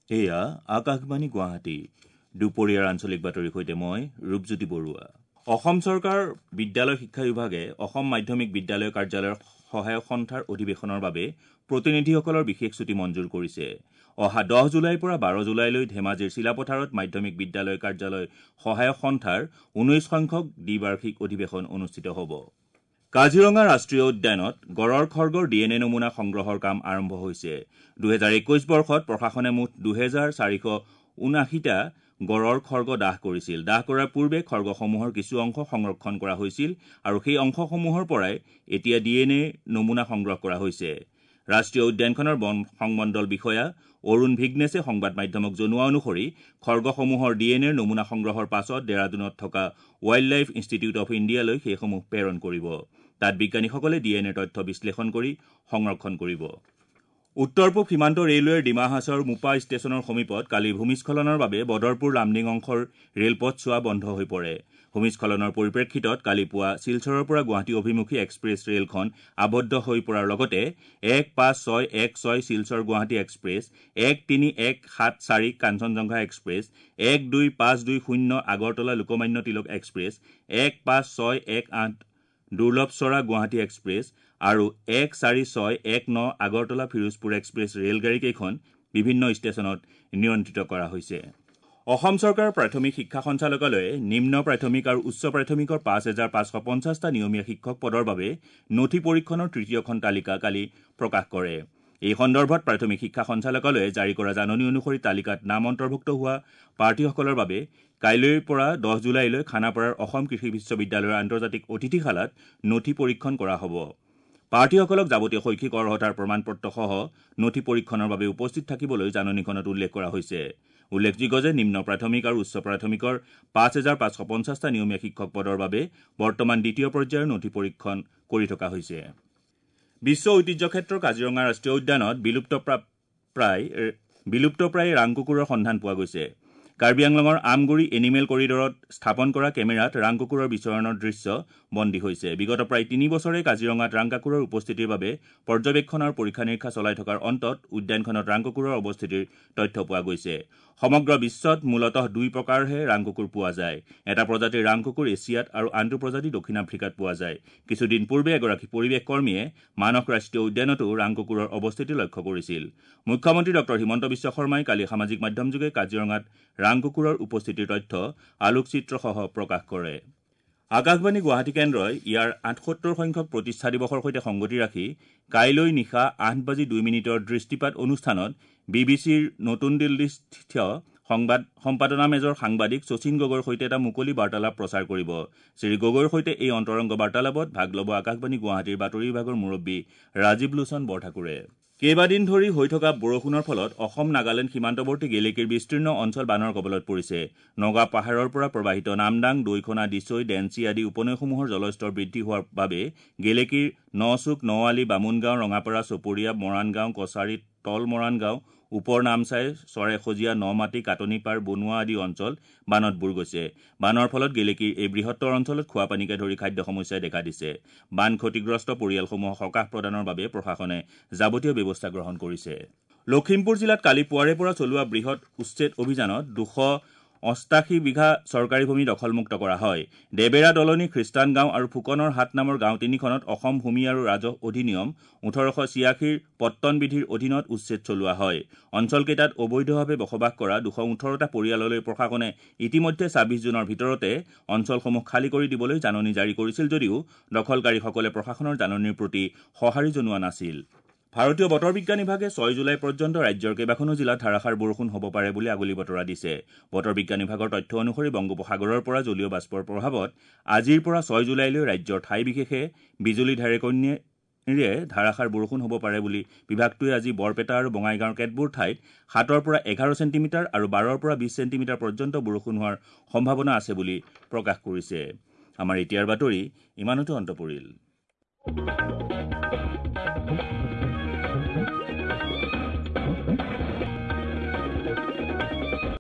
এয়া আকাশবাণী গুৱাহাটী। দুপৰীয়াৰ আঞ্চলিক বাতৰিৰ সৈতে মই ৰূপজ্যোতি বৰুৱা। অসম চৰকাৰ বিদ্যালয় শিক্ষা বিভাগে অসম মাধ্যমিক বিদ্যালয় কাৰ্যালয়ৰ সহায়ক সন্থাৰ অধিৱেশনৰ বাবে প্ৰতিনিধিসকলৰ বিশেষ ছুটী মঞ্জুৰ কৰিছে। অহা 10 জুলাইৰ পৰা 12 জুলাইলৈ ধেমাজিৰ চিলাপথাৰত মাধ্যমিক বিদ্যালয় কাৰ্যালয় সহায়ক সন্থাৰ 19 সংখ্যক দ্বিবাৰ্ষিক অধিৱেশন অনুষ্ঠিত হ'ব। কাজিৰঙা ৰাষ্ট্ৰীয় উদ্যানত গড়ৰ খৰ্গৰ ডি এন এ নমুনা সংগ্ৰহৰ কাম আৰম্ভ হৈছে। 2021 বৰ্ষত প্ৰশাসনে মুঠ 2479টা গড়ৰ খৰ্গ দাহ কৰিছিল। দাহ কৰাৰ পূৰ্বে খৰ্গসমূহৰ কিছু অংশ সংৰক্ষণ কৰা হৈছিল আৰু সেই অংশসমূহৰ পৰাই এতিয়া ডি এন এ নমুনা সংগ্ৰহ কৰা হৈছে। ৰাষ্ট্ৰীয় উদ্যানখনৰ বন সংমণ্ডল বিষয়া অৰুণ ভিগ্নেছে সংবাদ মাধ্যমক জনোৱা অনুসৰি খৰ্গসমূহৰ ডি এন এৰ নমুনা সংগ্ৰহৰ পাছত ডেৰাডুনত থকা ৱাইল্ড লাইফ ইনষ্টিটিউট অফ ইণ্ডিয়ালৈ সেইসমূহ প্ৰেৰণ কৰিব। তাত বিজ্ঞানীসকলে ডি এন এৰ তথ্য বিশ্লেষণ কৰি সংৰক্ষণ কৰিব। উত্তৰ পূব সীমান্ত ৰেলৱেৰ ডিমা হাছাওৰ মুপা ষ্টেচনৰ সমীপত কালি ভূমিস্খলনৰ বাবে বদৰপুৰ লামডিং অংশৰ ৰেলপথ চোৱা বন্ধ হৈ পৰে। ভূমিস্খলনৰ পৰিপ্ৰেক্ষিতত কালি পুৱা শিলচৰৰ পৰা গুৱাহাটী অভিমুখী এক্সপ্ৰেছ ৰেলখন আবদ্ধ হৈ পৰাৰ লগতে 1 5 6 1 6 Silchar Guwahati express, 1 3 1 7 4 Kanchenjunga express, 1 2 5 2 0 Agartala Lokmanya Tilak express, 1 5 6 1 8 Durlabhchara Guwahati express আৰু 1 4 6 1 9 আগৰতলা ফিৰোজপুৰ এক্সপ্ৰেছ ৰেলগাড়ীকেইখন বিভিন্ন ষ্টেচনত নিয়ন্ত্ৰিত কৰা হৈছে। অসম চৰকাৰৰ প্ৰাথমিক শিক্ষা সঞ্চালকালয়ে নিম্ন প্ৰাথমিক আৰু উচ্চ প্ৰাথমিকৰ 5550টা নিয়মীয়া শিক্ষক পদৰ বাবে নথি পৰীক্ষণৰ তৃতীয়খন তালিকা কালি প্ৰকাশ কৰে। এই সন্দৰ্ভত প্ৰাথমিক শিক্ষা সঞ্চালকালয়ে জাৰি কৰা জাননী অনুসৰি তালিকাত নাম অন্তৰ্ভুক্ত হোৱা প্ৰাৰ্থীসকলৰ বাবে কাইলৈৰ পৰা 10 জুলাইলৈ খানাপাৰাৰ অসম কৃষি বিশ্ববিদ্যালয়ৰ আন্তৰ্জাতিক অতিথিশালাত নথি পৰীক্ষণ কৰা হ'ব। প্ৰাৰ্থীসকলক যাৱতীয় শৈক্ষিক অৰ্হতাৰ প্ৰমাণপত্ৰসহ নথি পৰীক্ষণৰ বাবে উপস্থিত থাকিবলৈ জাননীখনত উল্লেখ কৰা হৈছে। উল্লেখযোগ্য যে নিম্ন প্ৰাথমিক আৰু উচ্চ প্ৰাথমিকৰ 5550টা নিয়মীয়া শিক্ষক পদৰ বাবে বৰ্তমান দ্বিতীয় পৰ্যায়ৰ নথি পৰীক্ষণ কৰি থকা হৈছে। বিশ্ব ঐতিহ্য ক্ষেত্ৰৰ কাজিৰঙা ৰাষ্ট্ৰীয় উদ্যানত বিলুপ্তপ্ৰায় ৰাং কুকুৰৰ সন্ধান পোৱা গৈছে। কাৰ্বি আংলঙৰ আমগুৰি এনিমেল কৰিডৰত স্থাপন কৰা কেমেৰাত ৰাং কুকুৰৰ বিচৰণৰ দৃশ্য বন্দী হৈছে। বিগত প্ৰায় 3 বছৰে কাজিৰঙাত ৰাং কুকুৰৰ উপস্থিতিৰ বাবে পৰ্যবেক্ষণ আৰু পৰীক্ষা নিৰীক্ষা চলাই থকাৰ অন্তত উদ্যানখনত ৰাং কুকুৰৰ অৱস্থিতিৰ তথ্য পোৱা গৈছে। সমগ্ৰ বিশ্বত মূলতঃ 2 প্ৰকাৰহে ৰাং কুকুৰ পোৱা যায়। এটা প্ৰজাতিৰ ৰাং কুকুৰ এছিয়াত আৰু আনটো প্ৰজাতি দক্ষিণ আফ্ৰিকাত পোৱা যায়। কিছুদিন পূৰ্বে এগৰাকী পৰিৱেশ কৰ্মীয়ে মানস ৰাষ্ট্ৰীয় উদ্যানতো ৰাং কুকুৰৰ অৱস্থিতি লক্ষ্য কৰিছিল। মুখ্যমন্ত্ৰী ডঃ হিমন্ত বিশ্ব শৰ্মাই কালি সামাজিক মাধ্যমযোগে কাজিৰঙাত ৰাং কুকুৰৰ উপস্থিতিৰ তথ্য আলোকচিত্ৰসহ প্ৰকাশ কৰে। আকাশবাণী গুৱাহাটী কেন্দ্ৰই ইয়াৰ 78 সংখ্যক প্ৰতিষ্ঠা দিৱসৰ সৈতে সংগতি ৰাখি কাইলৈ নিশা 8:02 দৃষ্টিপাত অনুষ্ঠানত বি বি চিৰ নতুন দিল্লীস্থিত সংবাদ সম্পাদনা মেজৰ সাংবাদিক শচীন গগৈৰ সৈতে এটা মুকলি বাৰ্তালাপ প্ৰচাৰ কৰিব। শ্ৰী গগৈৰ সৈতে এই অন্তৰংগ বাৰ্তালাপত ভাগ ল'ব আকাশবাণী গুৱাহাটীৰ বাতৰি বিভাগৰ মুৰব্বী ৰাজীৱ লোচন বৰঠাকুৰে। কেইবাদিন ধৰি হৈ থকা বৰষুণৰ ফলত অসম নাগালেণ্ড সীমান্তৱৰ্তী গেলেকীৰ বিস্তীৰ্ণ অঞ্চল বানৰ কবলত পৰিছে। নগা পাহাৰৰ পৰা প্ৰবাহিত নামদাং, দৈখনা, দিচৈ, ডেঞ্চি আদি উপনৈসমূহৰ জলস্তৰ বৃদ্ধি হোৱাৰ বাবে গেলেকীৰ নচুক, নআলি, বামুণগাঁও, ৰঙাপাৰা, চপৰীয়া, মৰাণগাঁও, কছাৰী, তল মৰাণগাঁও, ওপৰ নামচাই, চৰাইসজীয়া, নমাটি, কাটনিপাৰ, বনোৱা আদি অঞ্চল বানত বুৰ গৈছে। বানৰ ফলত গেলেকীৰ এই বৃহত্তৰ অঞ্চলত খোৱাপানীকে ধৰি খাদ্য সমস্যাই দেখা দিছে। বান ক্ষতিগ্ৰস্ত পৰিয়ালসমূহক সকাহ প্ৰদানৰ বাবে প্ৰশাসনে যাৱতীয় ব্যৱস্থা গ্ৰহণ কৰিছে। লখিমপুৰ জিলাত কালি পুৱাৰে পৰা চলোৱা বৃহৎ উচ্ছেদ অভিযানত 288 বিঘা চৰকাৰী ভূমি দখলমুক্ত কৰা হয়। দেবেৰা দলনি, খ্ৰীষ্টান গাঁও আৰু ফুকনৰ হাট নামৰ গাঁও তিনিখনত অসম ভূমি আৰু ৰাজহ অধিনিয়ম 1886ৰ পট্টন বিধিৰ অধীনত উচ্ছেদ চলোৱা হয়। অঞ্চলকেইটাত অবৈধভাৱে বসবাস কৰা 218টা পৰিয়াললৈ প্ৰশাসনে ইতিমধ্যে 26 জুনৰ ভিতৰতে অঞ্চলসমূহ খালী কৰি দিবলৈ জাননী জাৰি কৰিছিল যদিও দখলকাৰীসকলে প্ৰশাসনৰ জাননীৰ প্ৰতি সঁহাৰি জনোৱা নাছিল। ভাৰতীয় বতৰ বিজ্ঞান বিভাগে 6 জুলাই পৰ্যন্ত ৰাজ্যৰ কেইবাখনো জিলাত ধাৰাসাৰ বৰষুণ হ'ব পাৰে বুলি আগলি বতৰা দিছে। বতৰ বিজ্ঞান বিভাগৰ তথ্য অনুসৰি বংগোপসাগৰৰ পৰা জলীয় বাষ্পৰ প্ৰভাৱত আজিৰ পৰা 6 জুলাইলৈ ৰাজ্যৰ ঠাই বিশেষে বিজুলী ঢেৰেকনিৰে ধাৰাসাৰ বৰষুণ হ'ব পাৰে বুলি বিভাগটোৱে আজি বৰপেটা আৰু বঙাইগাঁৱৰ কেতবোৰ ঠাইত 7ৰ পৰা 11 চেণ্টিমিটাৰ আৰু 12ৰ পৰা 20 চেণ্টিমিটাৰ পৰ্যন্ত বৰষুণ হোৱাৰ সম্ভাৱনা আছে বুলি প্ৰকাশ কৰিছে। আমাৰ এতিয়াৰ বাতৰি ইমানতে অন্ত পৰিল।